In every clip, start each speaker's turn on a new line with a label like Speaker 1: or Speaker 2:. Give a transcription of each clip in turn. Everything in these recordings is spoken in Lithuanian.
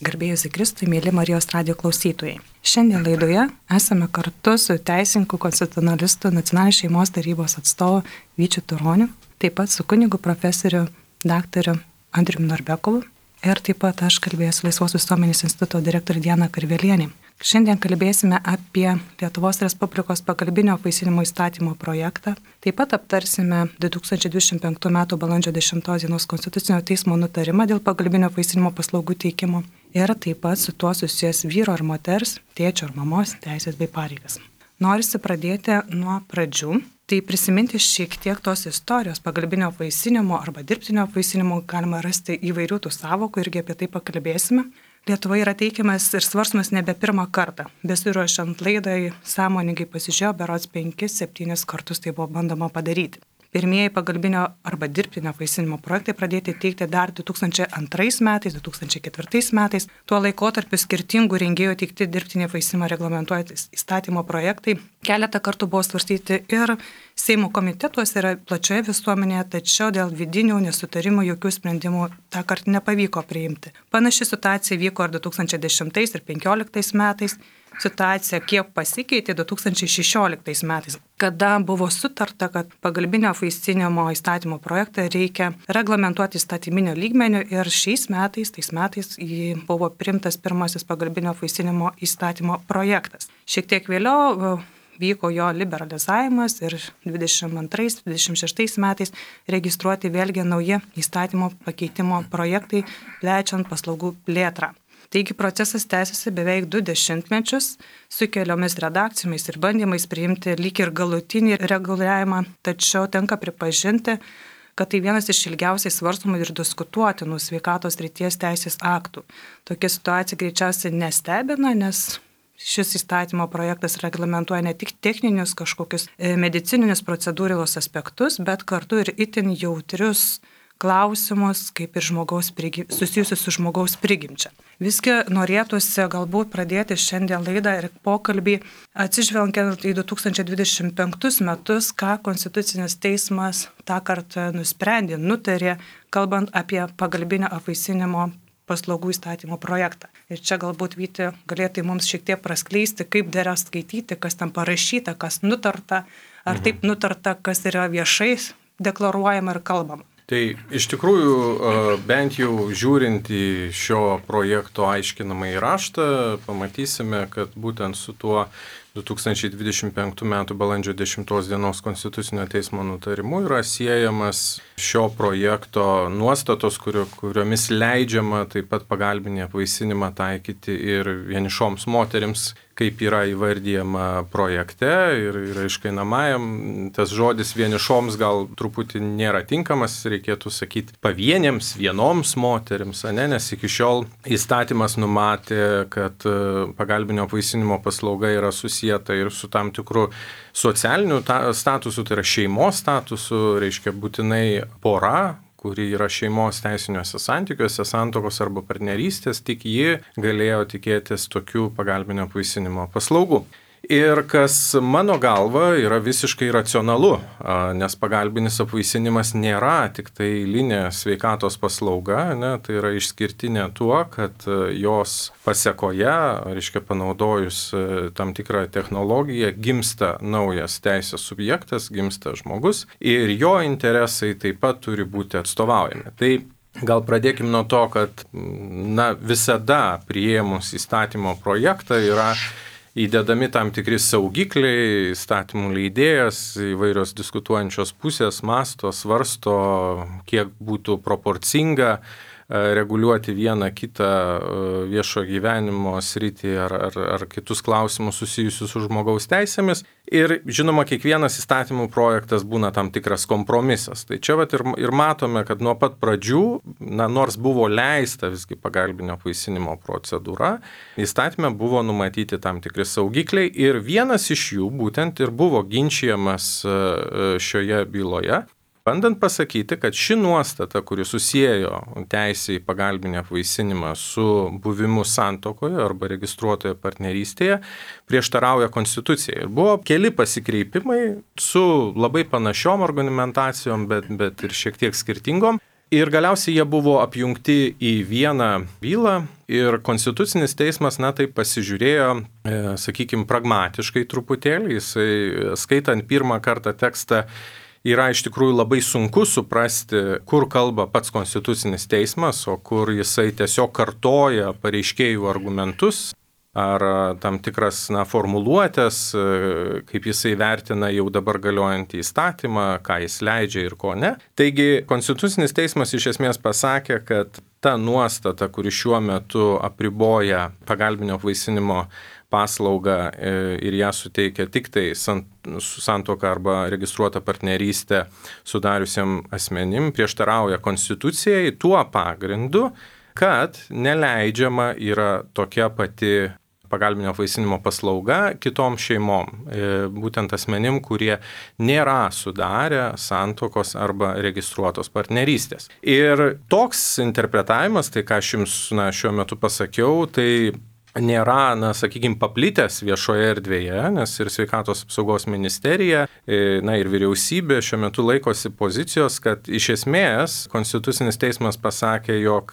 Speaker 1: Garbėjus į Kristų, mėly Marijos radijo klausytojai. Šiandien laidoje esame kartu su teisininku, konstitucionalistu, Nacionalinės šeimos tarybos atstovu Vyčiu Turoniu, taip pat su kunigu profesoriu daktaru Andriumi Norbekovu ir taip pat aš kalbėsiu Laisvos visuomenės instituto direktorė Diana Karvelienė. Šiandien kalbėsime apie Lietuvos Respublikos pagalbinio apvaisinimo įstatymo projektą. Taip pat aptarsime 2025 m. balandžio 10 d. Konstitucinio teismo nutarimą dėl pagalbinio apvaisinimo paslaugų teikimo ir taip pat su tuo susijęs vyro ar moters, tėčio ar mamos teisės bei pareigas. Norisi pradėti nuo pradžių. Tai prisiminti šiek tiek tos istorijos pagalbinio apvaisinimo arba dirbtinio apvaisinimo galima rasti įvairių tų sąvokų, irgi apie tai pakalbėsime. Lietuvoje yra teikiamas ir svarstomas nebe pirmą kartą. Besiruošiant laidai sąmoningai pasižiūrėjau, berods 5-7 kartus tai buvo bandoma padaryti. Pirmieji pagalbinio arba dirbtinio apvaisinimo projektai pradėti teikti dar 2002 metais, 2004 metais. Tuo laikotarpiu skirtingų rengėjų teikti dirbtinį apvaisinimą reglamentuojantys įstatymo projektai keletą kartų buvo svarstyti ir Seimo komitetuose ir plačioje visuomenėje, tačiau dėl vidinių nesutarimų jokių sprendimų tą kartą nepavyko priimti. Panaši situacija vyko ir 2010 ir 2015 metais. Situacija kiek pasikeitė 2016 metais, kada buvo sutarta, kad pagalbinio apvaisinimo įstatymo projektą reikia reglamentuoti įstatyminio lygmenio ir tais metais buvo priimtas pirmasis pagalbinio apvaisinimo įstatymo projektas. Šiek tiek vėliau vyko jo liberalizavimas ir 22-26 metais registruoti vėlgi nauji įstatymo pakeitimo projektai, plečiant paslaugų plėtrą. Taigi procesas tęsiasi beveik 2 dešimtmečius su keliomis redakcijomis ir bandymais priimti lyg ir galutinį reguliavimą, tačiau tenka pripažinti, kad tai vienas iš ilgiausiai svarstomų ir diskutuotinų sveikatos srities teisės aktų. Tokia situacija greičiausiai nestebina, nes šis įstatymo projektas reglamentuoja ne tik techninius kažkokius medicininius procedūros aspektus, bet kartu ir itin jautrius klausimus, kaip ir susijusius su žmogaus prigimčia. Visgi norėtųsi galbūt pradėti šiandien laidą ir pokalbį atsižvelgiant į 2025 metus, ką Konstitucinis teismas tą kartą nusprendė, nutarė, kalbant apie pagalbinio apvaisinimo paslaugų įstatymo projektą. Ir čia galbūt Vyti galėtų mums šiek tiek praskleisti, kaip dera skaityti, kas ten parašyta, kas nutarta, ar taip nutarta, kas yra viešai deklaruojama ir kalbama.
Speaker 2: Tai iš tikrųjų, bent jau žiūrint į šio projekto aiškinamąjį raštą, pamatysime, kad būtent su tuo 2025 m. balandžio 10 d. Konstitucinio teismo nutarimu yra siejamas šio projekto nuostatos, kuriomis leidžiama taip pat pagalbinį apvaisinimą taikyti ir vienišoms moterims, kaip yra įvardyjama projekte ir aiškinamajam. Tas žodis vienišoms gal truputį nėra tinkamas, reikėtų sakyti pavienėms, vienoms moterims, nes iki šiol įstatymas numatė, kad pagalbinio apvaisinimo paslauga yra susieta ir su tam tikru socialiniu statusu, tai yra šeimos statusu, reiškia būtinai pora, kuri yra šeimos teisiniuose santykiuose, santuokos arba partnerystės, tik ji galėjo tikėtis tokių pagalbinio apvaisinimo paslaugų. Ir kas mano galva yra visiškai racionalu, nes pagalbinis apvaisinimas nėra tik tai eilinė sveikatos paslauga, tai yra išskirtinė tuo, kad jos pasekoje, reiškia panaudojus tam tikrą technologiją, gimsta naujas teisės subjektas, gimsta žmogus ir jo interesai taip pat turi būti atstovaujami. Tai gal pradėkime nuo to, kad visada priėmus įstatymo projektą yra įdedami tam tikri saugikliai, įstatymų leidėjas, įvairios diskutuojančios pusės mąsto, svarsto, kiek būtų proporcinga reguliuoti vieną kitą viešo gyvenimo sritį ar kitus klausimus susijusius su žmogaus teisėmis. Ir žinoma, kiekvienas įstatymų projektas būna tam tikras kompromisas. Tai čia ir matome, kad nuo pat pradžių, nors buvo leista visgi pagalbinio apvaisinimo procedūra, įstatyme buvo numatyti tam tikri saugikliai ir vienas iš jų būtent ir buvo ginčijamas šioje byloje. Bandant pasakyti, kad ši nuostata, kuri susiejo teisę į pagalbinį apvaisinimą su buvimu santuokoje arba registruotoje partnerystėje, prieštarauja Konstitucijai. Ir buvo keli pasikreipimai su labai panašiom argumentacijom, bet ir šiek tiek skirtingom. Ir galiausiai jie buvo apjungti į vieną bylą ir Konstitucinis teismas, taip pasižiūrėjo, sakykime, pragmatiškai truputėlį. Jisai, skaitant pirmą kartą tekstą, yra iš tikrųjų labai sunku suprasti, kur kalba pats Konstitucinis teismas, o kur jisai tiesiog kartoja pareiškėjų argumentus ar tam tikras formuluotės, kaip jisai vertina jau dabar galiojantį įstatymą, ką jis leidžia ir ko ne. Taigi Konstitucinis teismas iš esmės pasakė, kad ta nuostata, kuri šiuo metu apriboja pagalbinio apvaisinimo paslaugą ir ją suteikia tik tai santuoką arba registruotą partnerystę sudariusiam asmenim, prieštarauja Konstitucijai tuo pagrindu, kad neleidžiama yra tokia pati pagalbinio apvaisinimo paslauga kitom šeimom, būtent asmenim, kurie nėra sudarę santuokos arba registruotos partnerystės. Ir toks interpretavimas, tai ką aš jums šiuo metu pasakiau, tai nėra, sakykime, paplitęs viešoje erdvėje, nes ir Sveikatos apsaugos ministerija, ir vyriausybė šiuo metu laikosi pozicijos, kad iš esmės Konstitucinis teismas pasakė, jog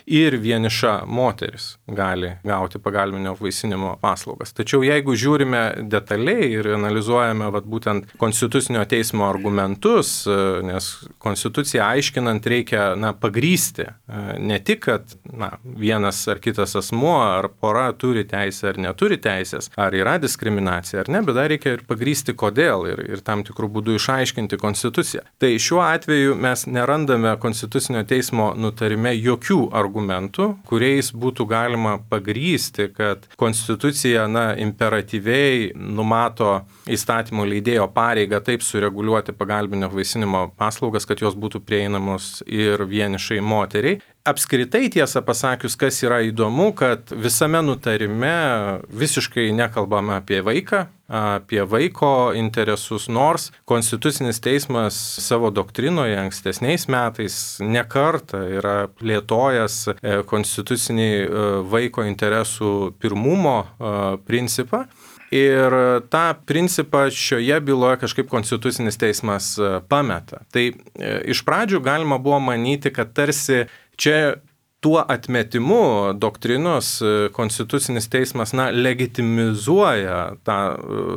Speaker 2: ir vieniša moteris gali gauti pagalbinio apvaisinimo paslaugas. Tačiau jeigu žiūrime detaliai ir analizuojame būtent Konstitucinio teismo argumentus, nes Konstituciją aiškinant reikia pagrysti, ne tik, kad vienas ar kitas asmuo ar pora turi teisę ar neturi teisės, ar yra diskriminacija ar ne, bet dar reikia ir pagrysti kodėl ir tam tikrų būdų išaiškinti Konstituciją. Tai šiuo atveju mes nerandame Konstitucinio teismo nutarime jokių argumentų, kuriais būtų galima pagrysti, kad Konstitucija imperatyviai numato įstatymų leidėjo pareigą taip sureguliuoti pagalbinio apvaisinimo paslaugas, kad jos būtų prieinamos ir vienišai moteriai. Apskritai, tiesą pasakius, kas yra įdomu, kad visame nutarime visiškai nekalbame apie vaiką, apie vaiko interesus, nors Konstitucinis teismas savo doktrinoje ankstesniais metais nekartą yra plėtojęs konstitucinį vaiko interesų pirmumo principą. Ir tą principą šioje byloje kažkaip Konstitucinis teismas pameta. Tai iš pradžių galima buvo manyti, kad tarsi čia tuo atmetimu doktrinos Konstitucinis teismas legitimizuoja tą,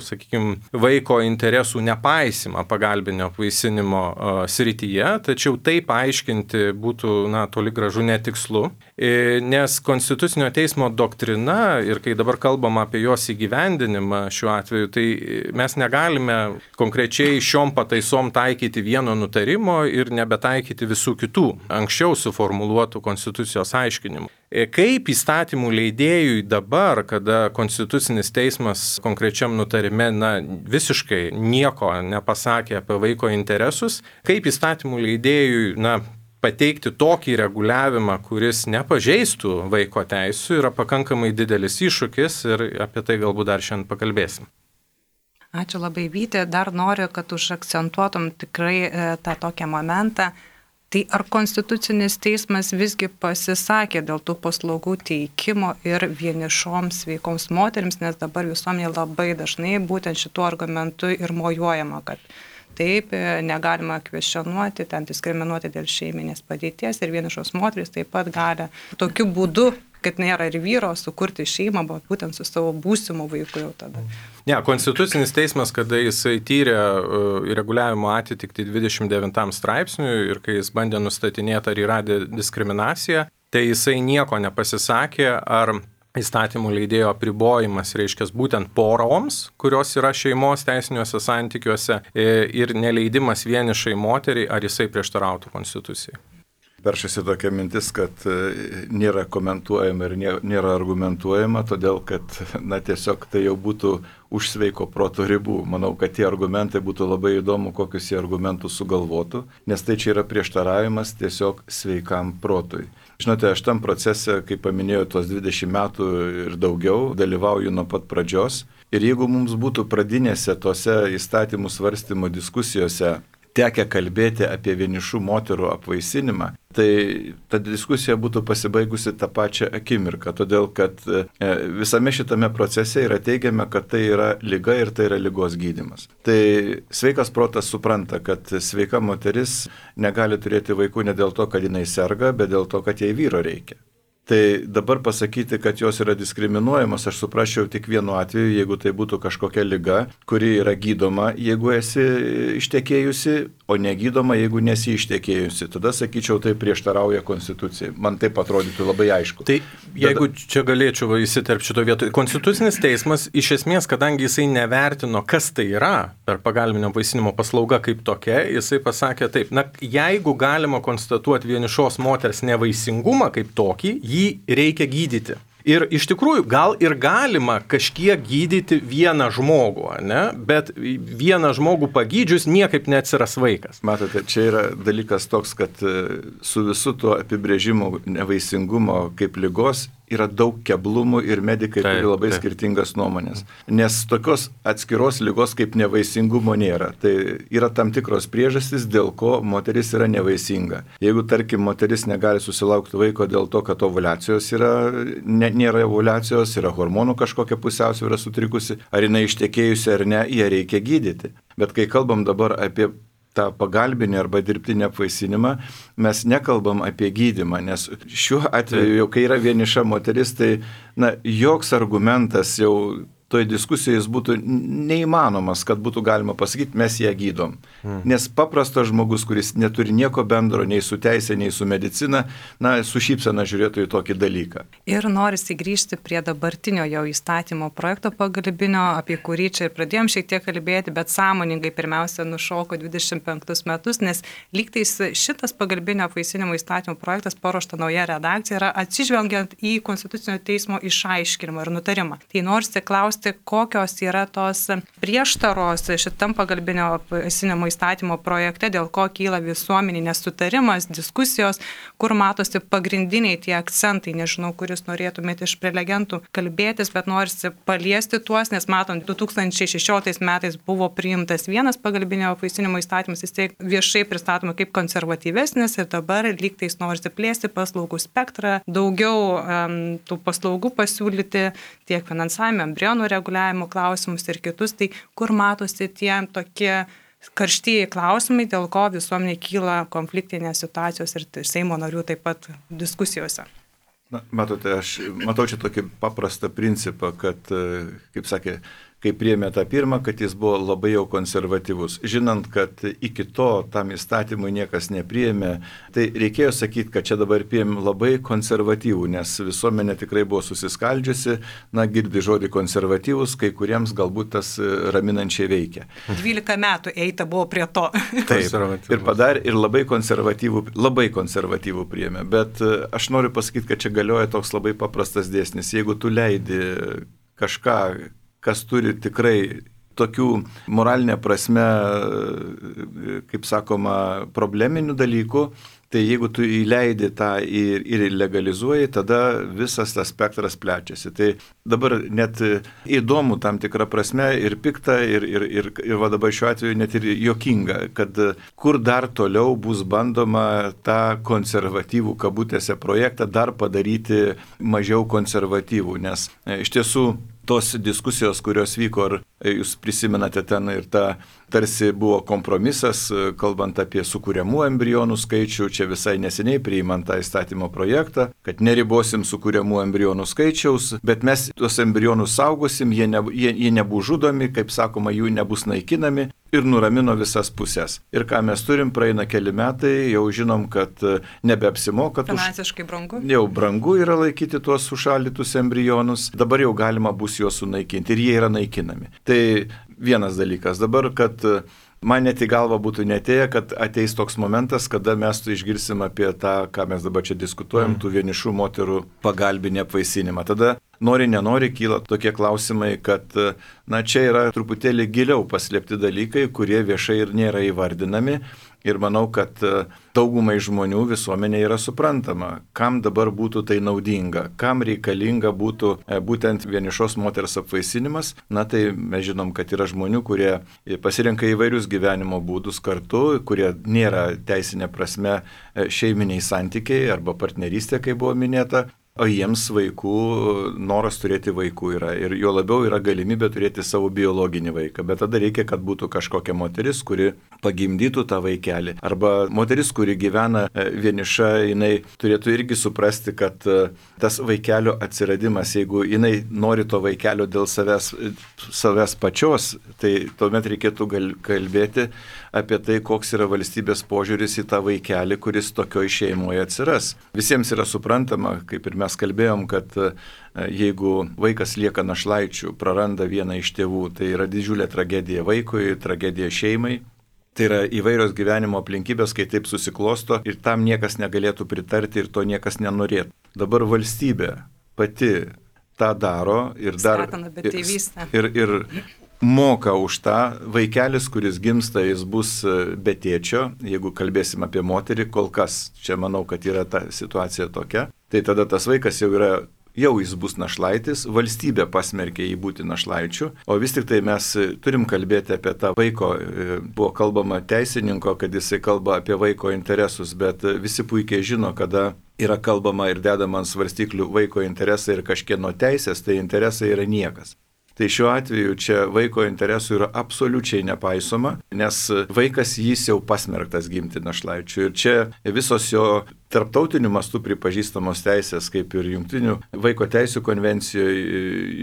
Speaker 2: sakykime, vaiko interesų nepaisimą pagalbinio apvaisinimo srityje, tačiau taip aiškinti būtų toli gražu netikslu, nes Konstitucinio teismo doktrina ir kai dabar kalbam apie jos įgyvendinimą šiuo atveju, tai mes negalime konkrečiai šiom pataisom taikyti vieno nutarimo ir nebetaikyti visų kitų anksčiau suformuluotų Konstitucijos aiškinimų. Kaip įstatymų leidėjui dabar, kada Konstitucinis teismas konkrečiam nutarime visiškai nieko nepasakė apie vaiko interesus, kaip įstatymų leidėjui pateikti tokį reguliavimą, kuris nepažeistų vaiko teisų, yra pakankamai didelis iššūkis ir apie tai galbūt dar šiandien pakalbėsim.
Speaker 1: Ačiū labai, Vyti. Dar noriu, kad užakcentuotum tikrai tą tokią momentą. Tai ar Konstitucinis teismas visgi pasisakė dėl tų paslaugų teikimo ir vienišoms sveikoms moterims, nes dabar visuomenė labai dažnai būtent šituo argumentu ir mojuojama, kad taip, negalima kvestionuoti, ten diskriminuoti dėl šeiminės padėties ir vienišos moterys taip pat gali tokiu būdu, kad nėra ir vyro, sukurti šeimą, bet būtent su savo būsimu vaiku jau tada.
Speaker 2: Ne, Konstitucinis teismas, kada jisai tyrė reguliavimo atitikti 29 straipsniui ir kai jis bandė nustatinėti, ar yra diskriminacija, tai jisai nieko nepasisakė, ar įstatymų leidėjo apribojimas reiškia būtent poroms, kurios yra šeimos teisiniuose santykiuose, ir neleidimas vienišai moteriai, ar jisai prieštarautų Konstitucijai.
Speaker 3: Peršasi tokia mintis, kad nėra komentuojama ir nėra argumentuojama, todėl kad tiesiog tai jau būtų už sveiko proto ribų. Manau, kad tie argumentai būtų labai įdomu, kokius jie argumentus sugalvotų, nes tai čia yra prieštaravimas tiesiog sveikam protui. Žinote, aš tam procese, kaip paminėjau, tuos 20 metų ir daugiau dalyvauju nuo pat pradžios. Ir jeigu mums būtų pradinėse tose įstatymų svarstymo diskusijose tekę kalbėti apie vienišų moterų apvaisinimą, tai ta diskusija būtų pasibaigusi tą pačią akimirką, todėl kad visame šitame procese yra teigiama, kad tai yra liga ir tai yra ligos gydymas. Tai sveikas protas supranta, kad sveika moteris negali turėti vaikų ne dėl to, kad jinai serga, bet dėl to, kad jai vyro reikia. Tai dabar pasakyti, kad jos yra diskriminuojamos, aš suprasčiau tik vienu atveju, jeigu tai būtų kažkokia liga, kuri yra gydoma, jeigu esi ištekėjusi, o negydoma, jeigu nesi ištekėjusi. Tada sakyčiau, tai prieštarauja konstitucijai. Man taip atrodytų labai aišku.
Speaker 2: Tai jeigu čia galėčiau įsiterpti šito vietoje, Konstitucinis teismas iš esmės, kadangi jisai nevertino, kas tai yra per pagalbinio apvaisinimo paslauga kaip tokia, jisai pasakė taip, jeigu galima konstatuoti vienišos moters nevaisingumą kaip tokį, jį reikia gydyti. Ir iš tikrųjų, gal ir galima kažkiek gydyti vieną žmogų, ne? Bet vieną žmogų pagydžius niekaip neatsiras vaikas.
Speaker 3: Matote, čia yra dalykas toks, kad su visu tuo apibrėžimu nevaisingumo kaip ligos yra daug keblumų ir medikai turi labai skirtingas nuomonės. Nes tokios atskiros ligos kaip nevaisingumo nėra. Tai yra tam tikros priežastys, dėl ko moteris yra nevaisinga. Jeigu, tarkim, moteris negali susilaukti vaiko dėl to, kad ovulacijos nėra ovulacijos, yra hormonų kažkokia pusiausvyrą sutrikusi, ar jinai ištekėjusi ar ne, ją reikia gydyti. Bet kai kalbam dabar apie tą pagalbinį arba dirbtinį apvaisinimą, mes nekalbam apie gydymą, nes šiuo atveju, jau kai yra vieniša moteris, tai joks argumentas jau toje diskusijoje jis būtų neįmanomas, kad būtų galima pasakyti, mes ją gydom. Nes paprastas žmogus, kuris neturi nieko bendro nei su teisė, nei su medicina, su šypsena žiūrėtų į tokį dalyką.
Speaker 1: Ir norisi grįžti prie dabartinio jau įstatymo projekto pagalbinio, apie kurį čia ir pradėjom šiek tiek kalbėti, bet sąmoningai pirmiausia nušoko 25 metus, nes lygtais šitas pagalbinio apvaisinimo įstatymo projektas paruošta nauja redakcija yra atsižvelgiant į Konstitucinio teismo išaiškinimą ir nutarimą. Tai norisi klausti, kokios yra tos prieštaros šitam pagalbinio apvaisinimo įstatymo projekte, dėl ko kyla visuomeninis nesutarimas, diskusijos, kur matosi pagrindiniai tie akcentai, nežinau, kuris norėtumėte iš prelegentų kalbėtis, bet norisi paliesti tuos, nes matom, 2016 metais buvo priimtas vienas pagalbinio apvaisinimo įstatymas, jis viešai pristatoma kaip konservatyvesnis ir dabar lygtais norisi plėsti paslaugų spektrą, daugiau tų paslaugų pasiūlyti tiek finansavime, embrionų reguliavimo klausimus ir kitus, tai kur matosi tie tokie karštieji klausimai, dėl ko visuomenė kyla konfliktinės situacijos ir Seimo narių taip pat diskusijose.
Speaker 3: Matote, aš matau čia tokį paprastą principą, kad, kaip sakė, kai priėmė tą pirmą, kad jis buvo labai jau konservatyvus. Žinant, kad iki to tam įstatymui niekas nepriėmė, tai reikėjo sakyti, kad čia dabar priėmė labai konservatyvų, nes visuomenė tikrai buvo susiskaldžiusi, girdi žodį konservatyvus, kai kuriems galbūt tas raminančiai veikia.
Speaker 1: 12 metų eita buvo prie to.
Speaker 3: Taip, ir padarė ir labai konservatyvų priėmė, bet aš noriu pasakyti, kad čia galioja toks labai paprastas dėsnis. Jeigu tu leidi kažką, kas turi tikrai tokių moralinė prasme, kaip sakoma, probleminių dalykų, tai jeigu tu įleidi tą ir legalizuoji, tada visas tas spektras plečiasi. Tai dabar net įdomu tam tikrą prasme ir pikta, ir va dabar šiuo atveju net ir juokinga, kad kur dar toliau bus bandoma tą konservatyvų kabutėse projektą dar padaryti mažiau konservatyvų, nes iš tiesų tos diskusijos, kurios vyko, ar jūs prisimenate ten ir ta tarsi buvo kompromisas, kalbant apie sukūriamų embrionų skaičių, čia visai neseniai priimant tą įstatymo projektą, kad neribosim sukūriamų embrionų skaičiaus, bet mes tuos embrionus saugosim, jie nebus žudomi, kaip sakoma, jų nebus naikinami ir nuramino visas pusės. Ir ką mes turim, praeina keli metai, jau žinom, kad nebeapsimoka.
Speaker 1: Finansiškai brangu.
Speaker 3: Jau brangu yra laikyti tuos sušaldytus embrionus, dabar jau galima bus juos sunaikinti ir jie yra naikinami. Tai vienas dalykas. Dabar, kad man net į galvą būtų netėję, kad ateis toks momentas, kada mes išgirsim apie tą, ką mes dabar čia diskutuojam, tų vienišų moterų pagalbinį apvaisinimą. Tada nori, kyla tokie klausimai, kad čia yra truputėlį giliau paslėpti dalykai, kurie viešai ir nėra įvardinami. Ir manau, kad daugumai žmonių visuomenė yra suprantama, kam dabar būtų tai naudinga, kam reikalinga būtų būtent vienišos moters apvaisinimas. Na tai mes žinom, kad yra žmonių, kurie pasirenka įvairius gyvenimo būdus kartu, kurie nėra teisinė prasme šeiminiai santykiai arba partnerystė, kaip buvo minėta. O jiems noras turėti vaikų yra ir jo labiau yra galimybė turėti savo biologinį vaiką, bet tada reikia, kad būtų kažkokia moteris, kuri pagimdytų tą vaikelį. Arba moteris, kuri gyvena vieniša, jinai turėtų irgi suprasti, kad tas vaikelio atsiradimas, jeigu jinai nori to vaikelio dėl savęs pačios, tai tuomet reikėtų kalbėti apie tai, koks yra valstybės požiūris į tą vaikelį, kuris tokioj šeimoje atsiras. Visiems yra suprantama, kaip ir mes kalbėjom, kad jeigu vaikas lieka našlaičiu, praranda vieną iš tėvų, tai yra didžiulė tragedija vaikui, tragedija šeimai. Tai yra įvairios gyvenimo aplinkybės, kai taip susiklosto ir tam niekas negalėtų pritarti ir to niekas nenorėtų. Dabar valstybė pati tą daro ir dar ir moka už tą. Vaikelis, kuris gimsta, jis bus be tėčio, jeigu kalbėsim apie moterį, kol kas čia manau, kad yra ta situacija tokia. Tai tada tas vaikas jau jis bus našlaitis, valstybė pasmerkė jį būti našlaičiu, o vis tik tai mes turim kalbėti apie tą vaiko, buvo kalbama teisininko, kad jisai kalba apie vaiko interesus, bet visi puikiai žino, kada yra kalbama ir dedama ant svarstyklių vaiko interesai ir kažkieno teisės, tai interesai yra niekas. Tai šiuo atveju čia vaiko interesų yra absoliučiai nepaisoma, nes vaikas jis jau pasmerktas gimti našlaičiu. Ir čia visos jo tarptautiniu mastu pripažįstamos teisės, kaip ir Jungtinių vaiko teisų konvencijoje,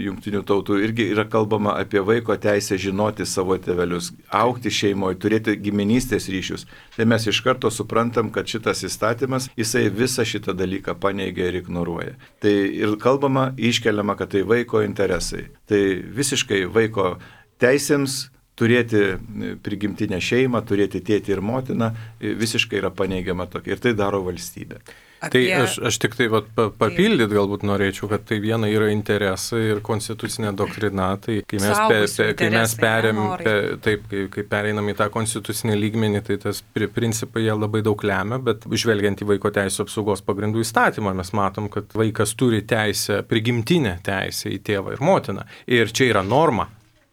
Speaker 3: Jungtinių tautų, irgi yra kalbama apie vaiko teisę žinoti savo tėvelius, augti šeimoje, turėti giminystės ryšius. Tai mes iš karto suprantam, kad šitas įstatymas, jisai visą šitą dalyką paneigia ir ignoruoja. Tai ir kalbama, iškeliama, kad tai vaiko interesai. Tai visiškai vaiko teisėms turėti prigimtinę šeimą, turėti tėtį ir motiną, visiškai yra paneigiama tokia. Ir tai daro valstybė.
Speaker 2: Tai aš tik tai papildyt galbūt norėčiau, kad tai viena yra interesai ir konstitucinė doktrina. Tai kai mes pereinam į tą konstitucinį lygmenį, tai tas principai jie labai daug lemia, bet žvelgiant į vaiko teisų apsaugos pagrindų įstatymą, mes matom, kad vaikas turi teisę, prigimtinę teisę į tėvą ir motiną. Ir čia yra norma.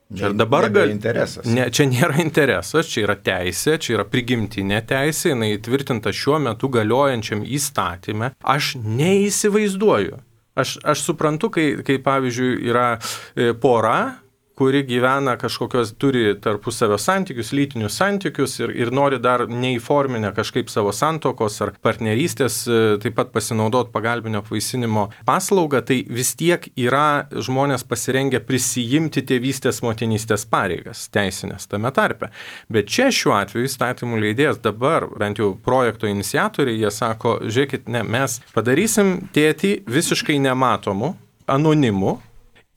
Speaker 2: Čia
Speaker 3: interesas.
Speaker 2: Čia nėra interesas, čia yra teisė, čia yra prigimtinė teisė, jinai įtvirtinta šiuo metu galiojančiam įstatyme. Aš neįsivaizduoju. Aš suprantu, kai pavyzdžiui yra pora, kuri gyvena turi tarpusavio santykius, lytinius santykius ir nori dar neįforminę kažkaip savo santokos ar partnerystės, taip pat pasinaudoti pagalbinio apvaisinimo paslaugą, tai vis tiek yra žmonės pasirengę prisijimti tėvystės motinystės pareigas, teisinės tame tarpe. Bet čia šiuo atveju įstatymų leidėjas dabar, bent jau projekto iniciatoriai, jie sako, žiūrėkit, mes padarysim tėtį visiškai nematomu, anonimu,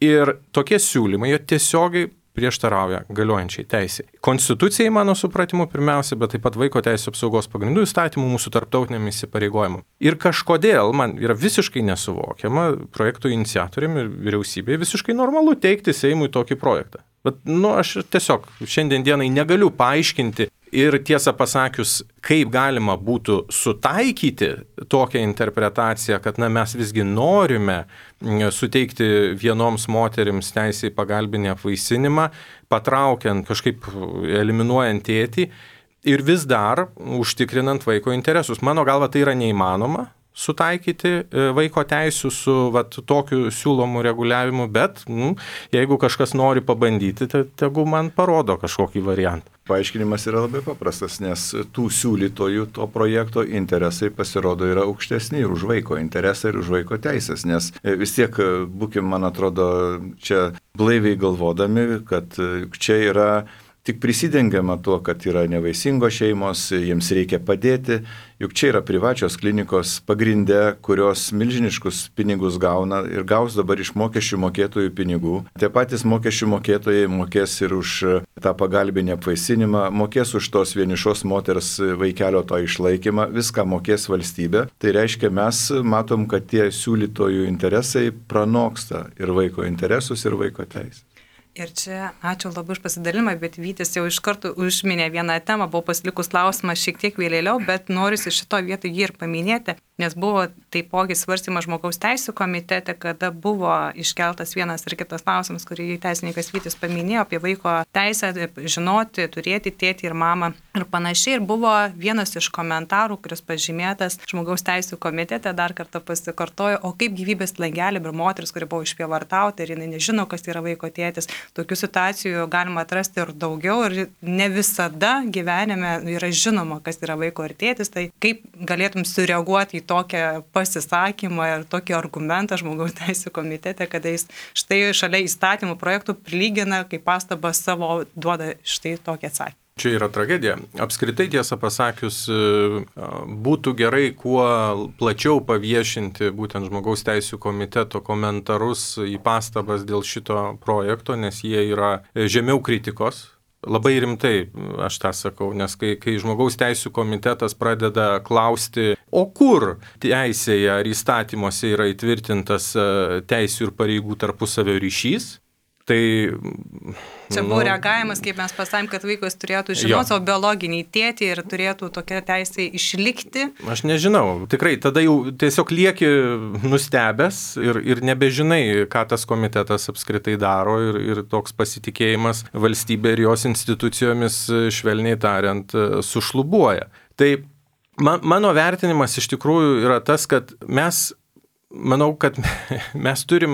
Speaker 2: ir tokie siūlymai jo tiesiogiai prieštarauja galiojančiai teisei. Konstitucijai, mano supratimu, pirmiausia, bet taip pat vaiko teisų apsaugos pagrindų įstatymų mūsų tarptautiniam įsipareigojimam. Ir kažkodėl man yra visiškai nesuvokiama projekto iniciatoriam ir vyriausybei visiškai normalu teikti Seimui tokį projektą. Bet, aš tiesiog šiandien dienai negaliu paaiškinti ir tiesą pasakius, kaip galima būtų sutaikyti tokią interpretaciją, kad mes visgi norime suteikti vienoms moterims teisę į pagalbinį apvaisinimą, patraukiant kažkaip eliminuojant tėtį ir vis dar užtikrinant vaiko interesus. Mano galva tai yra neįmanoma sutaikyti vaiko teisų su tokiu siūlomu reguliavimu, bet jeigu kažkas nori pabandyti, tai tegu man parodo kažkokį variantą.
Speaker 3: Paaiškinimas yra labai paprastas, nes tų siūlytojų to projekto interesai pasirodo yra aukštesni ir už vaiko interesą ir už vaiko teisės, nes vis tiek būkim, man atrodo, čia blaiviai galvodami, kad čia yra tik prisidengiama tuo, kad yra nevaisingos šeimos, jiems reikia padėti, juk čia yra privačios klinikos pagrinde, kurios milžiniškus pinigus gauna ir gaus dabar iš mokesčių mokėtojų pinigų. Tie patys mokesčių mokėtojai mokės ir už tą pagalbinį apvaisinimą, mokės už tos vienišos moters vaikelio to išlaikymą, viską mokės valstybė. Tai reiškia, mes matom, kad tie siūlytojų interesai pranoksta ir vaiko interesus, ir vaiko teisę.
Speaker 1: Ir čia ačiū labai už pasidalimą, bet Vytis jau iš karto užminė vieną temą, buvo pasilikus klausimas šiek tiek vėliau, bet noriu šito vietoj jį ir paminėti, nes buvo taipogi svarstymas žmogaus teisų komitete, kada buvo iškeltas vienas ir kitas klausimas, kurį teisininkas Vytis paminėjo apie vaiko teisę žinoti, turėti tėtį ir mamą ir panašiai. Ir buvo vienas iš komentarų, kuris pažymėtas žmogaus teisų komitete, dar kartą pasikartojo, o kaip gyvybės langelį ir moteris, kuri buvo išprievartauta ir jinai nežino, kas yra vaiko tėtis. Tokių situacijų galima atrasti ir daugiau ir ne visada gyvenime yra žinoma, kas yra vaiko ir tėtis. Tai kaip galėtum sureaguoti į tokią pasisakymą ir tokį argumentą žmogaus teisų komitete, kada jis štai šalia įstatymų projektų prilygina, kaip pastabą savo duoda štai tokį atsakymą.
Speaker 2: Čia yra tragedija. Apskritai, tiesą pasakius, būtų gerai kuo plačiau paviešinti būtent žmogaus teisų komiteto komentarus į pastabas dėl šito projekto, nes jie yra žemiau kritikos. Labai rimtai aš tą sakau, nes kai žmogaus teisų komitetas pradeda klausti, o kur teisėje ar įstatymuose yra įtvirtintas teisių ir pareigų tarpusavio ryšys, tai...
Speaker 1: Čia buvo reagavimas, kaip mes pasakėm, kad vaikas turėtų žinoti savo biologinį tėtį ir turėtų tokia teisė išlikti.
Speaker 2: Aš nežinau, tikrai, tada jau tiesiog lieki nustebęs ir nebežinai, ką tas komitetas apskritai daro ir toks pasitikėjimas valstybė ir jos institucijomis, švelniai tariant, sušlubuoja. Tai mano vertinimas iš tikrųjų yra tas, kad manau, kad mes turim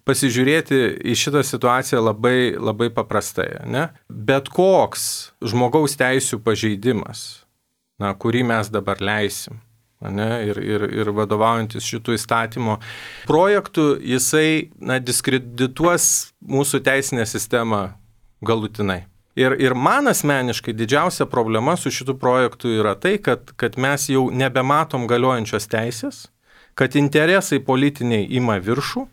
Speaker 2: pasižiūrėti į šitą situaciją labai, labai paprastai. Ne? Bet koks žmogaus teisų pažeidimas, kurį mes dabar leisim, ne? Ir vadovaujantis šitų įstatymo projektų, jisai diskredituos mūsų teisinę sistemą galutinai. Ir man asmeniškai didžiausia problema su šitų projektų yra tai, kad mes jau nebematom galiojančios teisės, kad interesai politiniai ima viršų,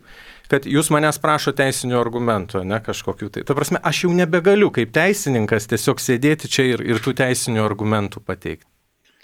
Speaker 2: kad jūs manęs prašo teisinių argumentų, ne kažkokių tai. Ta prasme, aš jau nebegaliu kaip teisininkas tiesiog sėdėti čia ir tų teisinių argumentų pateikti.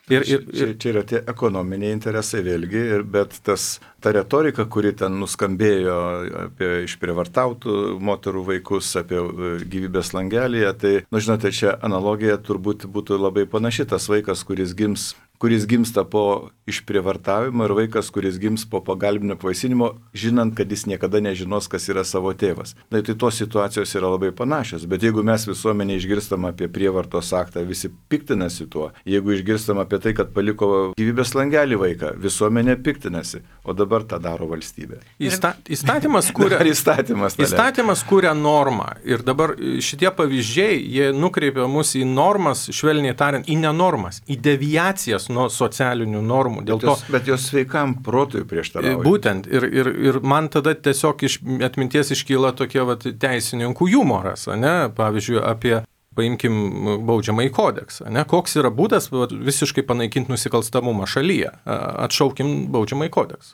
Speaker 3: Čia yra tie ekonominiai interesai vėlgi, bet ta retorika, kuri ten nuskambėjo apie išprievartautų moterų vaikus, apie gyvybės langelėje, tai, žinote, čia analogija turbūt būtų labai panaši. Tas vaikas, kuris gimsta po išprievartavimo ir vaikas, kuris gims po pagalbinio apvaisinimo, žinant, kad jis niekada nežinos, kas yra savo tėvas. Tai tos situacijos yra labai panašios, bet jeigu mes visuomenė išgirstam apie prievartos aktą, visi piktinasi tuo. Jeigu išgirstam apie tai, kad paliko gyvybės langelį vaiką, visuomenė piktinasi, o dabar tą daro valstybė.
Speaker 2: Įstatymas kuria normą ir dabar šitie pavyzdžiai, jie nukreipia mus į normas, švelniai tariant, į nenormas, į deviacijas nuo socialinių normų.
Speaker 3: Bet jos sveikam protui prieštarauja.
Speaker 2: Būtent. Ir man tada tiesiog iš atminties iškyla tokie teisininkų humoras, ne? Pavyzdžiui, paimkim baudžiamąjį kodeksą. Ne? Koks yra būdas visiškai panaikinti nusikalstamumą šalyje? Atšaukim baudžiamąjį kodeksą.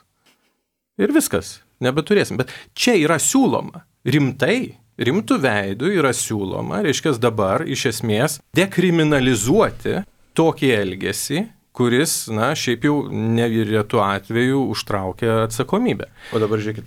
Speaker 2: Ir viskas. Nebeturėsim. Bet čia yra siūloma. Rimtų veidų yra siūloma, reiškia dabar iš esmės dekriminalizuoti tokį elgesį, kuris, šiaip jau nevyretų atveju užtraukia atsakomybę.
Speaker 3: O dabar žiūrėkit,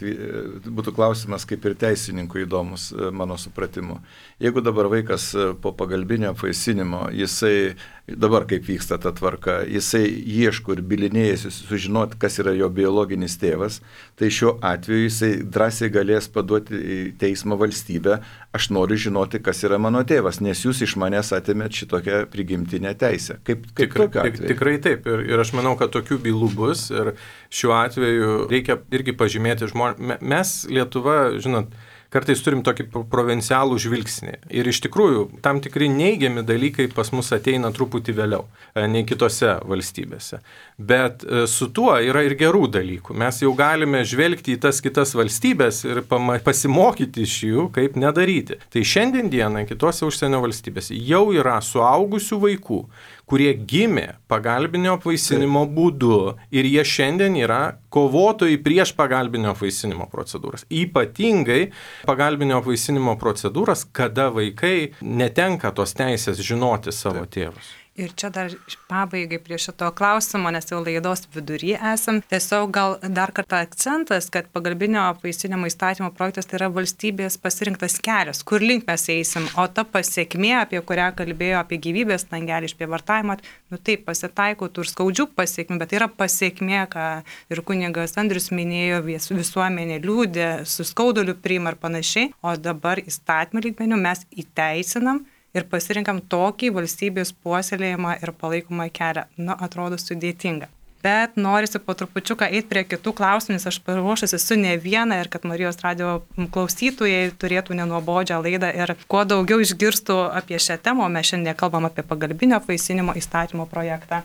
Speaker 3: būtų klausimas kaip ir teisininkų įdomus mano supratimu. Jeigu dabar vaikas po pagalbinio apvaisinimo, jisai, dabar kaip vyksta ta tvarka, jisai ieško ir bilinėjasi sužinoti, kas yra jo biologinis tėvas, tai šiuo atveju jisai drąsiai galės paduoti į teismą valstybę, aš noriu žinoti, kas yra mano tėvas, nes jūs iš manęs atėmėt šitokią prigimtinę teisę. Kaip
Speaker 2: tikrai taip. Ir aš manau, kad tokių bylų bus. Ir šiuo atveju reikia irgi pažymėti žmonės. Mes Lietuva, žinot, kartais turim tokį provincialų žvilgsnį. Ir iš tikrųjų, tam tikri neigiami dalykai pas mus ateina truputį vėliau, nei kitose valstybėse. Bet su tuo yra ir gerų dalykų. Mes jau galime žvelgti į tas kitas valstybės ir pasimokyti iš jų, kaip nedaryti. Tai šiandien dieną kitose užsienio valstybėse jau yra suaugusių vaikų, kurie gimė pagalbinio apvaisinimo būdu ir jie šiandien yra kovotojai prieš pagalbinio apvaisinimo procedūras. Ypatingai pagalbinio apvaisinimo procedūras, kada vaikai netenka tos teisės žinoti savo tėvus.
Speaker 1: Ir čia dar pabaigai prie šito klausimo, nes jau laidos vidury esam. Tiesiog gal dar kartą akcentas, kad pagalbinio apvaisinimo įstatymo projektas tai yra valstybės pasirinktas kelias, kur link mes eisim, o ta pasiekmė, apie kurią kalbėjo, apie gyvybės langelį išprievartavimą, taip pasitaiko tų ir skaudžių pasiekmių, bet tai yra pasiekmė, ką ir kunigas Andrius minėjo, visuomenė liūdė, su skauduliu priima ir panašiai, o dabar įstatymų lygmenių mes įteisinam ir pasirinkam tokį valstybės puoselėjimą ir palaikomą kelią. Atrodo sudėtinga. Bet norisi po trupučiuką eiti prie kitų klausimų, nes aš paruošusi su ne vieną ir kad Marijos radijo klausytojai turėtų nenuobodžią laidą ir kuo daugiau išgirstų apie šią temą, mes šiandien kalbam apie pagalbinio apvaisinimo įstatymo projektą.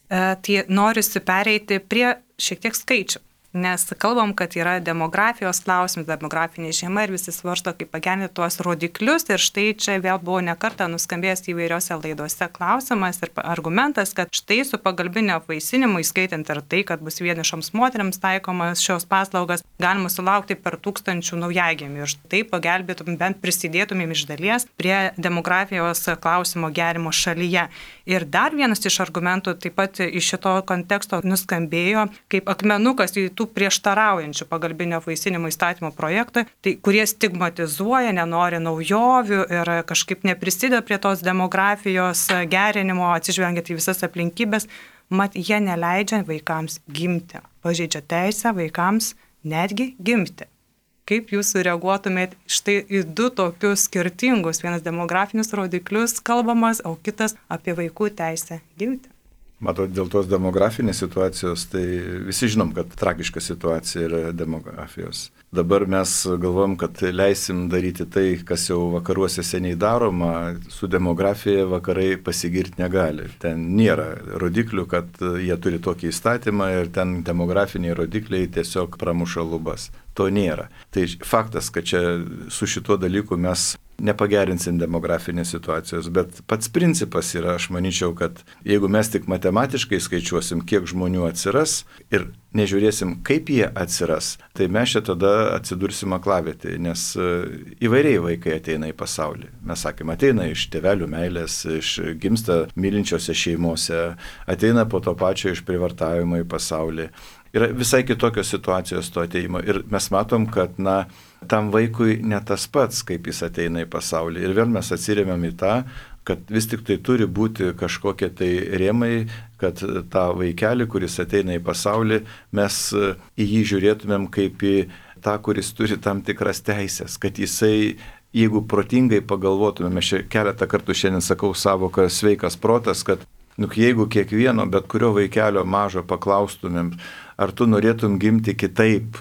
Speaker 1: Tai norisi pereiti prie šiek tiek skaičių. Nes kalbam, kad yra demografijos klausimas, demografinė šeima ir visi svarsto, kaip pagerinti tuos rodiklius. Ir štai čia vėl buvo nekartą nuskambėjęs įvairiose laidose klausimas ir argumentas, kad štai su pagalbinio apvaisinimu, įskaitant ir tai, kad bus vienišoms moteriams taikomas šios paslaugas, galima sulaukti per 1000 naujagimių. Ir štai pagelbėtum, bent prisidėtumėm iš dalies prie demografijos klausimo gerimo šalyje. Ir dar vienas iš argumentų taip pat iš šito konteksto nuskambėjo kaip akmenukas į tų prieštaraujančių pagalbinio apvaisinimo įstatymo projektą, tai kurie stigmatizuoja, nenori naujovių ir kažkaip neprisideda prie tos demografijos gerinimo, atsižvelgiant į visas aplinkybės, mat jie neleidžia vaikams gimti, pažeidžia teisę vaikams netgi gimti. Kaip jūs sureaguotumėt štai į du tokius skirtingus, vienas demografinius rodiklius kalbamas, o kitas apie vaikų teisę gimti?
Speaker 3: Matot, dėl tos demografinės situacijos, tai visi žinom, kad tragiška situacija yra demografijos. Dabar mes galvom, kad leisim daryti tai, kas jau vakaruose seniai daroma, su demografija vakarai pasigirti negali. Ten nėra rodiklių, kad jie turi tokį įstatymą ir ten demografiniai rodikliai tiesiog pramuša lubas. To nėra. Tai faktas, kad čia su šituo dalyku mes nepagerinsim demografinės situacijos, bet pats principas yra, aš manyčiau, kad jeigu mes tik matematiškai skaičiuosim, kiek žmonių atsiras ir nežiūrėsim, kaip jie atsiras, tai mes čia tada atsidursim aklavietėje, nes įvairiai vaikai ateina į pasaulį. Mes sakėm, ateina iš tėvelių meilės, gimsta mylinčiose šeimose, ateina po to pačio iš prievartavimo į pasaulį. Yra visai kitokios situacijos to ateimo ir mes matom, kad tam vaikui ne tas pats, kaip jis ateina į pasaulį. Ir vėl mes atsiremiam į tą, kad vis tik tai turi būti kažkokie tai rėmai, kad tą vaikelį, kuris ateina į pasaulį, mes į jį žiūrėtumėm kaip į tą, kuris turi tam tikras teisės, kad jisai, jeigu protingai pagalvotumėm, aš keletą kartų šiandien sakau savoką sveikas protas, kad jeigu kiekvieno, bet kurio vaikelio mažo paklaustumėm, ar tu norėtum gimti kitaip,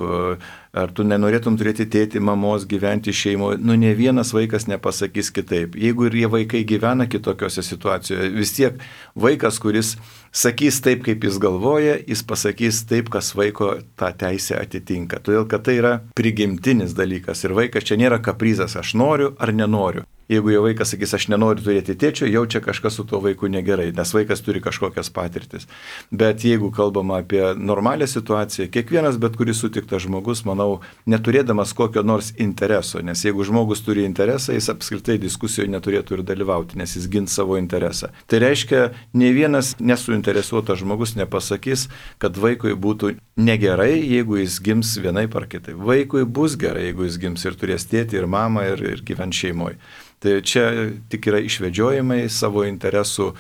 Speaker 3: ar tu nenorėtum turėti tėtį, mamos, gyventi šeimoje, ne vienas vaikas nepasakys kitaip. Jeigu ir jie vaikai gyvena kitokiose situacijoje, vis tiek vaikas, kuris sakys taip, kaip jis galvoja, jis pasakys taip, kas vaiko tą teisę atitinka. Todėl, kad tai yra prigimtinis dalykas ir vaikas čia nėra kaprizas, aš noriu ar nenoriu. Jeigu jo vaikas sakys, aš nenoriu turėti tėčio, jau čia kažkas su tuo vaiku negerai, nes vaikas turi kažkokias patirtis. Bet jeigu kalbama apie normalią situaciją, kiekvienas bet kuris sutiktas žmogus, manau, neturėdamas kokio nors intereso, nes jeigu žmogus turi interesą, jis apskritai diskusijoje neturėtų ir dalyvauti, nes jis gins savo interesą. Tai reiškia, ne vienas nesuinteresuotas žmogus nepasakys, kad vaikui būtų negerai, jeigu jis gims vienaip ar kitaip. Vaikui bus gerai, jeigu jis gims ir turės tėtį ir mamą ir gyvent šeimoje. Tai čia tik yra išvedžiojimai, savo interesų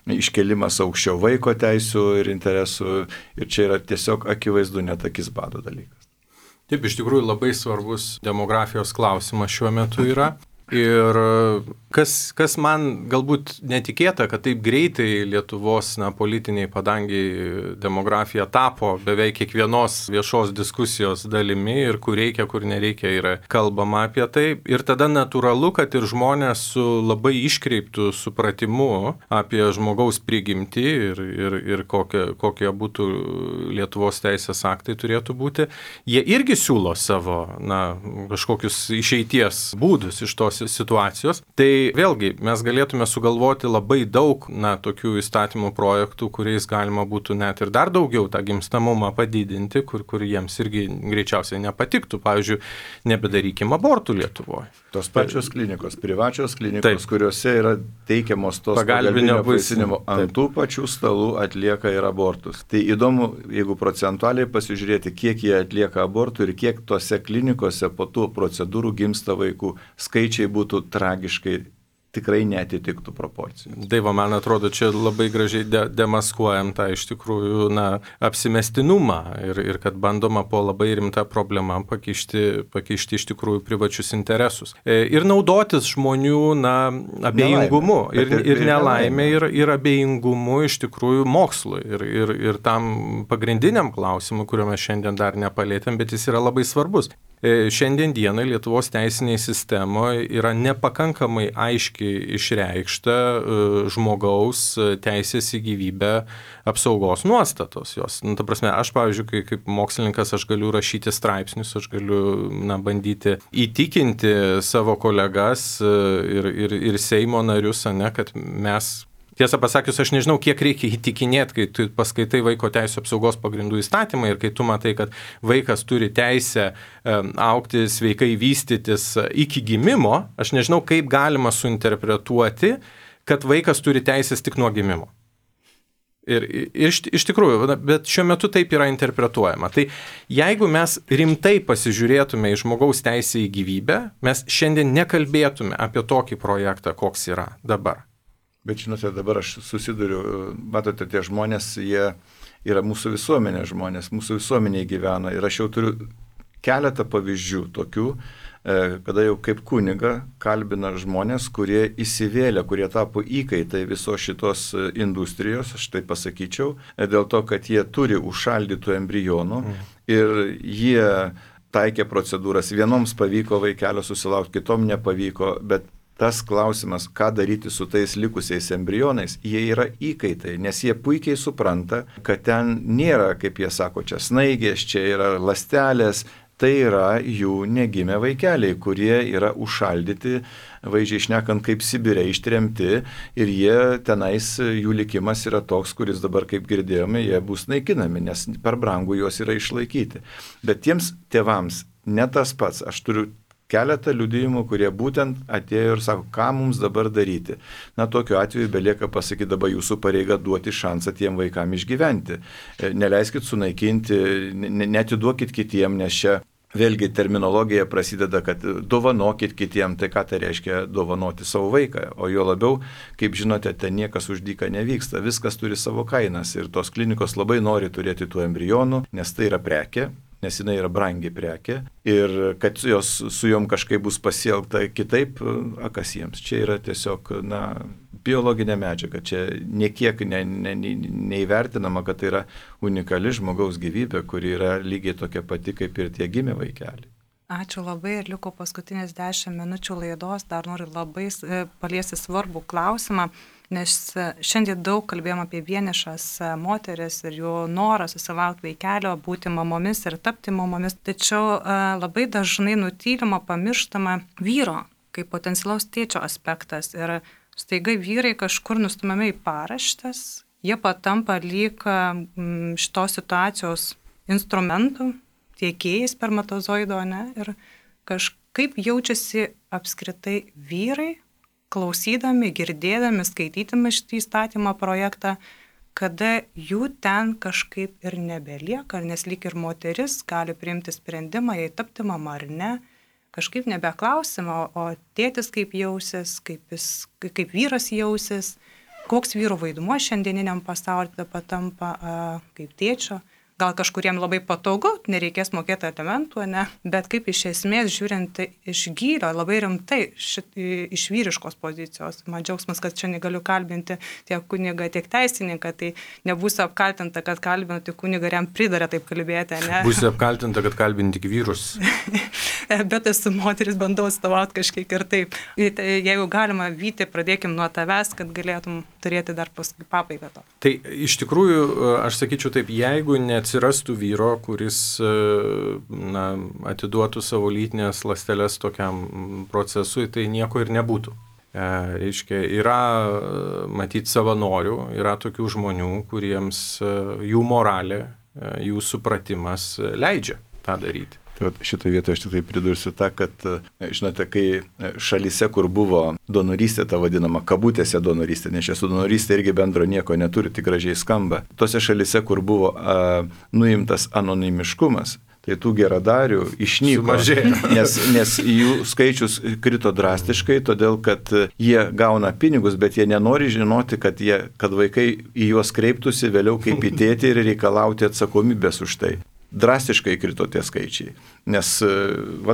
Speaker 3: iškelimas aukščiau vaiko teisų ir interesų ir čia yra tiesiog akivaizdu net akis bado dalykas.
Speaker 2: Taip, iš tikrųjų labai svarbus demografijos klausimas šiuo metu yra. Ir kas man galbūt netikėta, kad taip greitai Lietuvos politiniai padangiai demografija tapo beveik kiekvienos viešos diskusijos dalimi ir kur reikia, kur nereikia yra kalbama apie tai. Ir tada natūralu, kad ir žmonės su labai iškreiptų supratimu apie žmogaus prigimtį ir kokie būtų Lietuvos teisės aktai turėtų būti, jie irgi siūlo savo kažkokius išeities būdus iš tos situacijos. Tai vėlgi mes galėtume sugalvoti labai daug, tokių įstatymų projektų, kuriais galima būtų net ir dar daugiau tą gimstamumą padidinti, kur jiems irgi greičiausiai nepatiktų. Pavyzdžiui, nebedarykim abortų Lietuvoje.
Speaker 3: Tos pačios klinikos, privačios klinikos, kuriuose yra teikiamos tos pagalbinio apvaisinimo, ant tų pačių stalų atlieka ir abortus. Tai įdomu, jeigu procentualiai pasižiūrėti, kiek jie atlieka abortų ir kiek tose klinikose po tų procedūrų gimsta vaikų, skaičiai būtų tragiškai tikrai neatitiktų proporcijų.
Speaker 2: Daiva, man atrodo, čia labai gražiai demaskuojam tą iš tikrųjų apsimestinumą ir kad bandoma po labai rimtą problemą pakišti iš tikrųjų privačius interesus. Ir naudotis žmonių abejingumu ir nelaimė ir abejingumu iš tikrųjų mokslui ir tam pagrindiniam klausimui, kurio mes šiandien dar nepalėtėm, bet jis yra labai svarbus. Šiandien dienai Lietuvos teisinėje sistemoje yra nepakankamai aiškiai išreikšta žmogaus teisės į gyvybę apsaugos nuostatos. Jos, ta prasme, aš, pavyzdžiui, kaip mokslininkas, aš galiu rašyti straipsnius, aš galiu bandyti įtikinti savo kolegas ir Seimo narius, kad mes... Tiesą pasakius, aš nežinau, kiek reikia įtikinėti, kai tu paskaitai vaiko teisų apsaugos pagrindų įstatymą ir kai tu matai, kad vaikas turi teisę augti, sveikai vystytis iki gimimo, aš nežinau, kaip galima suinterpretuoti, kad vaikas turi teisės tik nuo gimimo. Ir iš tikrųjų, bet šiuo metu taip yra interpretuojama. Tai jeigu mes rimtai pasižiūrėtume į žmogaus teisę į gyvybę, mes šiandien nekalbėtume apie tokį projektą, koks yra dabar.
Speaker 3: Bet žinote, dabar aš susiduriu, matote, tie žmonės, jie yra mūsų visuomenės žmonės, mūsų visuomeniai gyvena. Ir aš jau turiu keletą pavyzdžių tokių, kada jau kaip kuniga kalbina žmonės, kurie įsivėlė, kurie tapo įkaitai visos šitos industrijos, aš tai pasakyčiau, dėl to, kad jie turi užšaldytų embrionų ir jie taikė procedūras. Vienoms pavyko vaikelio susilaukti, kitom nepavyko, bet tas klausimas, ką daryti su tais likusiais embrionais, jie yra įkaitai, nes jie puikiai supranta, kad ten nėra, kaip jie sako, čia snaigės, čia yra ląstelės, tai yra jų negimę vaikeliai, kurie yra užšaldyti, vaizdžiai šnekant, kaip Sibire ištremti ir jie tenais, jų likimas yra toks, kuris dabar, kaip girdėjome, jie bus naikinami, nes per brangu juos yra išlaikyti. Bet tiems tėvams ne tas pats, aš turiu keletą liudijimų, kurie būtent atėjo ir sako, ką mums dabar daryti. Tokiu atveju belieka pasakyti, dabar jūsų pareiga duoti šansą tiem vaikam išgyventi. Neleiskit sunaikinti, netiduokit kitiem, nes čia vėlgi terminologija prasideda, kad dovanokit kitiem, tai ką tai reiškia dovanoti savo vaiką. O jo labiau, kaip žinote, ten niekas už dyką nevyksta, viskas turi savo kainas ir tos klinikos labai nori turėti tų embrionų, nes tai yra prekė. Nes jinai yra brangi prekė ir kad su jom kažkaip bus pasielgta kitaip, kas jiems. Čia yra tiesiog, biologinė medžiaga, čia niekiek neįvertinama, kad tai yra unikali žmogaus gyvybė, kuri yra lygiai tokia pati kaip ir tie gimę vaikeliai.
Speaker 1: Ačiū labai ir liko paskutinės 10 minučių laidos, dar noriu labai paliesti svarbų klausimą, nes šiandien daug kalbėjom apie vienišas moteris ir jų norą susilaukti vaikelio, būti mamomis ir tapti mamomis, tačiau labai dažnai nutylima, pamirštama vyro kaip potencialaus tėčio aspektas ir staiga vyrai kažkur nustumiami į paraštes, jie patampa lyg šitos situacijos instrumentų, tiekėjai spermatozoido, ir kažkaip jaučiasi apskritai vyrai, klausydami, girdėdami, skaitydami šitą įstatymą projektą, kada jų ten kažkaip ir nebelieka, nes lyg ir moteris gali priimti sprendimą, jei tapti mama ar ne, kažkaip nebeklausima, o tėtis kaip jausis, kaip vyras jausis, koks vyro vaidmuo šiandieniniam pasaulyje patampa kaip tėčio. Gal kažkuriem labai patogu, nereikės mokėti alimentų, bet kaip iš esmės žiūrint iš gylio, labai rimtai iš vyriškos pozicijos. Man džiaugsmas, kad šiandien galiu kalbinti tiek kunigą, tiek teisininką, tai nebūsiu apkaltinta, kad kalbinu tik kunigą ir jam pridarė taip kalbėti.
Speaker 2: Būsiu apkaltinta, kad kalbinti tik vyrus.
Speaker 1: Bet esu moteris, bandau atstovauti kažkiek ir taip. Jeigu galima, Vyti, pradėkim nuo tavęs, kad galėtum turėti dar paskui pabaigą to.
Speaker 2: Tai iš tikrųjų, aš sakyčiau taip, jeigu neatsirastų vyro, kuris atiduotų savo lytinės ląsteles tokiam procesui, tai nieko ir nebūtų. Reiškia, yra matyti savanorių, yra tokių žmonių, kuriems jų moralė, jų supratimas leidžia tą daryti.
Speaker 3: Šitoje vietoje aš tik tai pridursiu tą, kad, žinote, kai šalyse, kur buvo donorystė, ta vadinama kabutėse donorystė, nes čia su donorystė irgi bendro nieko neturi, tik gražiai skamba, tose šalyse, kur buvo nuimtas anonimiškumas, tai tų geradarių išnyko, nes jų skaičius krito drastiškai, todėl kad jie gauna pinigus, bet jie nenori žinoti, kad vaikai į juos kreiptųsi vėliau kaip į tėtį ir reikalauti atsakomybės už tai. Drastiškai krito tie skaičiai, nes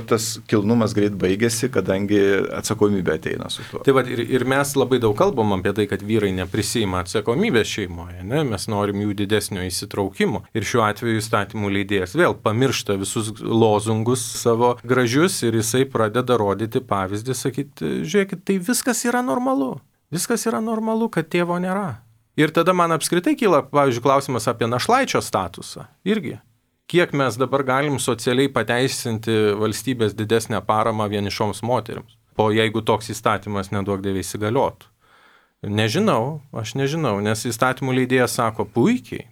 Speaker 3: tas kilnumas greit baigėsi, kadangi atsakomybė ateina su tuo.
Speaker 2: Tai ir mes labai daug kalbam apie tai, kad vyrai neprisima atsakomybės šeimoje, ne? Mes norim jų didesnio įsitraukimo. Ir šiuo atveju įstatymų leidėjas vėl pamiršta visus lozungus savo gražius ir jisai pradeda rodyti pavyzdį, sakyti, žiūrėkit, tai viskas yra normalu. Viskas yra normalu, kad tėvo nėra. Ir tada man apskritai kyla, pavyzdžiui, klausimas apie našlaičio statusą. Irgi. Kiek mes dabar galim socialiai pateisinti valstybės didesnę paramą vienišoms moterims, jeigu toks įstatymas neduok dieve įsigaliotų. Aš nežinau, nes įstatymų leidėjas sako, puikiai,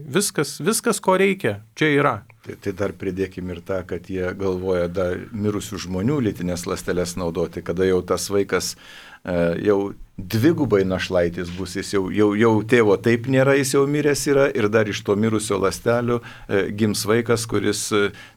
Speaker 2: viskas, ko reikia, čia yra.
Speaker 3: Tai dar pridėkim ir tą, kad jie galvoja dar mirusių žmonių lytinės ląsteles naudoti, kada jau tas vaikas jau dvigubai našlaitis bus, jis jau tėvo taip nėra, jis jau miręs yra ir dar iš to mirusio ląstelių gims vaikas, kuris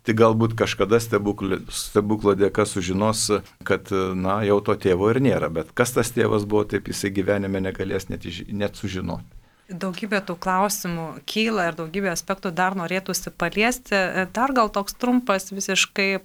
Speaker 3: tik galbūt kažkada stebuklo dėka sužinos, kad jau to tėvo ir nėra, bet kas tas tėvas buvo, taip jisai gyvenime negalės net sužinoti.
Speaker 1: Daugybė tų klausimų kyla ir daugybė aspektų dar norėtųsi paliesti. Dar gal toks trumpas, visiškai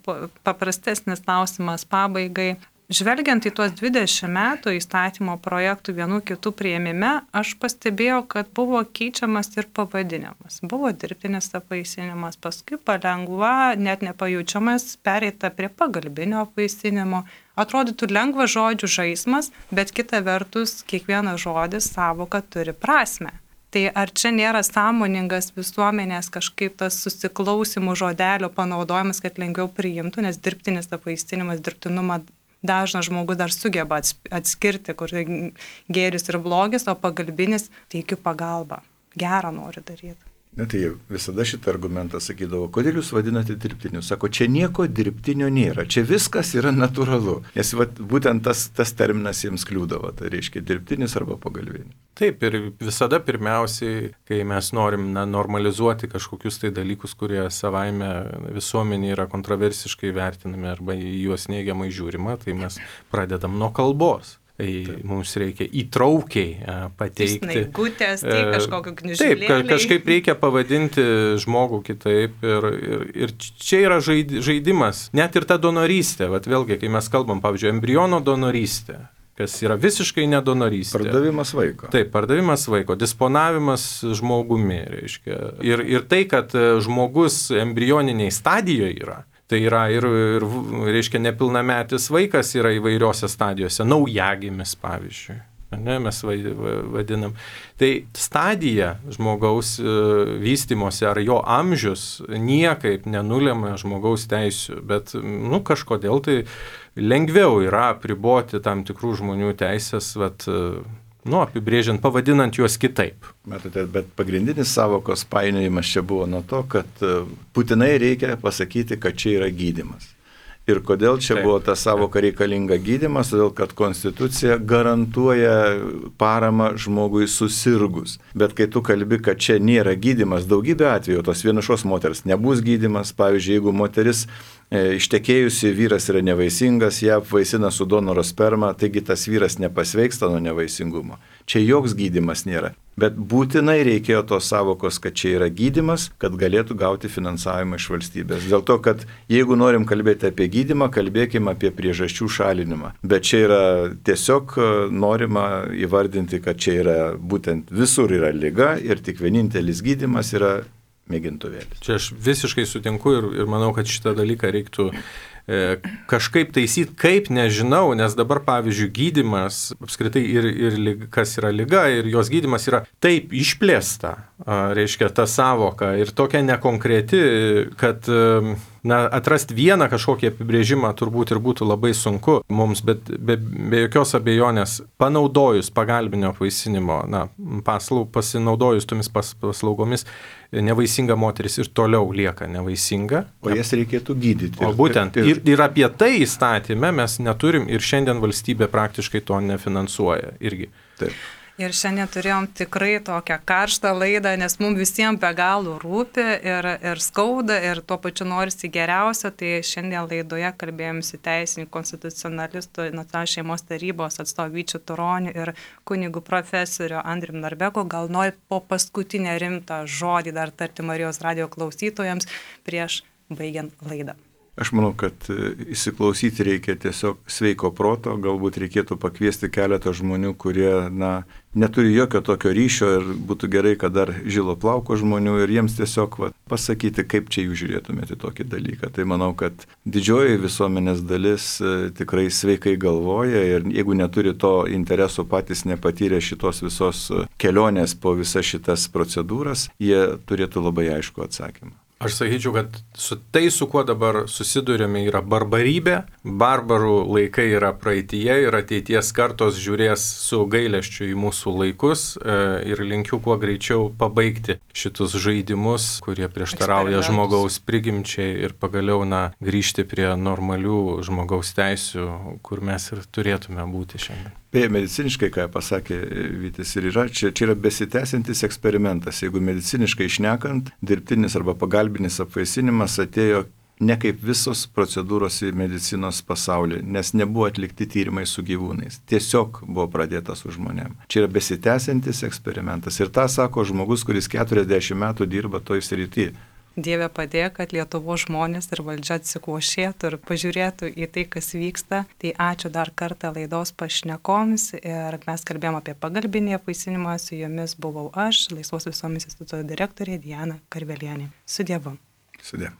Speaker 1: paprastesnis klausimas pabaigai. Žvelgiant į tuos 20 metų įstatymo projektų vienų kitų priėmime, aš pastebėjau, kad buvo keičiamas ir pavadinimas. Buvo dirbtinis apvaisinimas, paskui palengva, net nepajaučiamas, pereita prie pagalbinio apvaisinimo. Atrodytų lengvas žodžių žaismas, bet kita vertus, kiekvienas žodis savoka turi prasmę. Tai ar čia nėra sąmoningas visuomenės kažkaip tas susiklausimų žodelio panaudojimas, kad lengviau priimtų, nes dirbtinis apvaisinimas, dirbtinumą dažnas žmogus dar sugeba atskirti, kur gėris ir blogis, o pagalbinis teikiu pagalbą. Gerą noriu daryti.
Speaker 3: Tai visada šitą argumentą sakydavo, kodėl jūs vadinate dirbtiniu? Sako, čia nieko dirbtinio nėra, čia viskas yra natūralu. Nes būtent tas terminas jiems kliūdavo, tai reiškia dirbtinis arba pagalbinis.
Speaker 2: Taip, ir visada pirmiausiai, kai mes norim normalizuoti kažkokius tai dalykus, kurie savaime visuomenė yra kontroversiškai vertinami arba į juos neigiamai žiūrima, tai mes pradedam nuo kalbos. Mums reikia įtraukiai pateikti.
Speaker 1: Snaigutės, tai kažkokio knižėlėlį.
Speaker 2: Taip, kažkaip reikia pavadinti žmogų kitaip ir čia yra žaidimas. Net ir ta donorystė, vėlgi, kai mes kalbam, pavyzdžiui, embriono donorystė, kas yra visiškai nedonorystė.
Speaker 3: Pardavimas vaiko.
Speaker 2: Taip, pardavimas vaiko, disponavimas žmogumi, reiškia. Ir tai, kad žmogus embrioniniai stadijoje yra, tai yra ir reiškia, nepilnametis vaikas yra įvairiose stadijose, naujagimis, pavyzdžiui, ne, mes vadinam. Tai stadija žmogaus vystymosi ar jo amžius niekaip nenulėmė žmogaus teisių, bet kažkodėl tai lengviau yra apriboti tam tikrų žmonių teisės, apibrėžiant, pavadinant juos kitaip.
Speaker 3: Matote, bet pagrindinis savokos painiojimas čia buvo nuo to, kad būtinai reikia pasakyti, kad čia yra gydymas. Ir kodėl čia buvo ta savoka reikalinga gydymas, todėl kad Konstitucija garantuoja paramą žmogui susirgus. Bet kai tu kalbi, kad čia nėra gydymas, daugybė atveju tos vienišos moters nebus gydymas. Pavyzdžiui, jeigu moteris ištekėjusi, vyras yra nevaisingas, ją apvaisina su donoro sperma, taigi tas vyras nepasveiksta nuo nevaisingumo. Čia joks gydymas nėra. Bet būtinai reikėjo tos savokos, kad čia yra gydymas, kad galėtų gauti finansavimą iš valstybės. Dėl to, kad jeigu norim kalbėti apie gydymą, kalbėkime apie priežasčių šalinimą. Bet čia yra tiesiog norima įvardinti, kad čia yra būtent visur yra liga ir tik vienintelis gydymas yra mėgintuvėlis.
Speaker 2: Čia aš visiškai sutinku ir manau, kad šitą dalyką reiktų kažkaip taisyti, kaip nežinau, nes dabar, pavyzdžiui, gydymas, apskritai ir kas yra liga, ir jos gydymas yra taip išplėsta, reiškia, ta savoka ir tokia nekonkreti, kad atrasti vieną kažkokį apibrėžimą turbūt ir būtų labai sunku mums, bet be jokios abejonės panaudojus pagalbinio apvaisinimo pasinaudojus tomis paslaugomis, nevaisinga moteris ir toliau lieka nevaisinga.
Speaker 3: O jas reikėtų gydyti.
Speaker 2: O būtent. Ir apie tai įstatyme mes neturim ir šiandien valstybė praktiškai to nefinansuoja irgi.
Speaker 3: Taip.
Speaker 1: Ir šiandien turėjom tikrai tokią karštą laidą, nes mums visiems be galo rūpi ir skauda ir tuo pačiu norisi geriausio. Tai šiandien laidoje kalbėjomsi teisininkų konstitucionalistų Nacionalinės šeimos tarybos atstovu Vyčiu Turoniu ir kunigu profesoriu Andrium Narbeku. Gal nori po paskutinę rimtą žodį dar tarti Marijos radijo klausytojams prieš baigiant laidą.
Speaker 3: Aš manau, kad įsiklausyti reikia tiesiog sveiko proto, galbūt reikėtų pakviesti keletą žmonių, kurie neturi jokio tokio ryšio ir būtų gerai, kad dar žilo plauko žmonių ir jiems tiesiog pasakyti, kaip čia jūs žiūrėtumėte tokį dalyką. Tai manau, kad didžioji visuomenės dalis tikrai sveikai galvoja ir jeigu neturi to intereso, patys nepatyrė šitos visos kelionės po visas šitas procedūras, jie turėtų labai aišku atsakymą.
Speaker 2: Aš sakyčiau, kad su kuo dabar susidurėme, yra barbarybė, barbarų laikai yra praeityje ir ateities kartos žiūrės su gailesčiu į mūsų laikus ir linkiu kuo greičiau pabaigti šitus žaidimus, kurie prieštarauja žmogaus prigimčiai ir pagaliau grįžti prie normalių žmogaus teisių, kur mes ir turėtume būti šiandien.
Speaker 3: Beje, mediciniškai, ką pasakė Vytis, ir yra, čia yra besitęsiantis eksperimentas. Jeigu mediciniškai šnekant, dirbtinis arba pagalbinis apvaisinimas atėjo ne kaip visos procedūros į medicinos pasaulį, nes nebuvo atlikti tyrimai su gyvūnais. Tiesiog buvo pradėta su žmonėm. Čia yra besitęsiantis eksperimentas. Ir tą sako žmogus, kuris 40 metų dirba toj srity.
Speaker 1: Dieve padėk, kad Lietuvos žmonės ir valdžia atsikvošėtų ir pažiūrėtų į tai, kas vyksta. Tai ačiū dar kartą laidos pašnekoms ir mes kalbėjome apie pagalbinį apvaisinimą. Su jumis buvau aš, Laisvos visuomenės instituto direktorė Diana Karvelienė. Su Dievu.
Speaker 3: Su Dievu.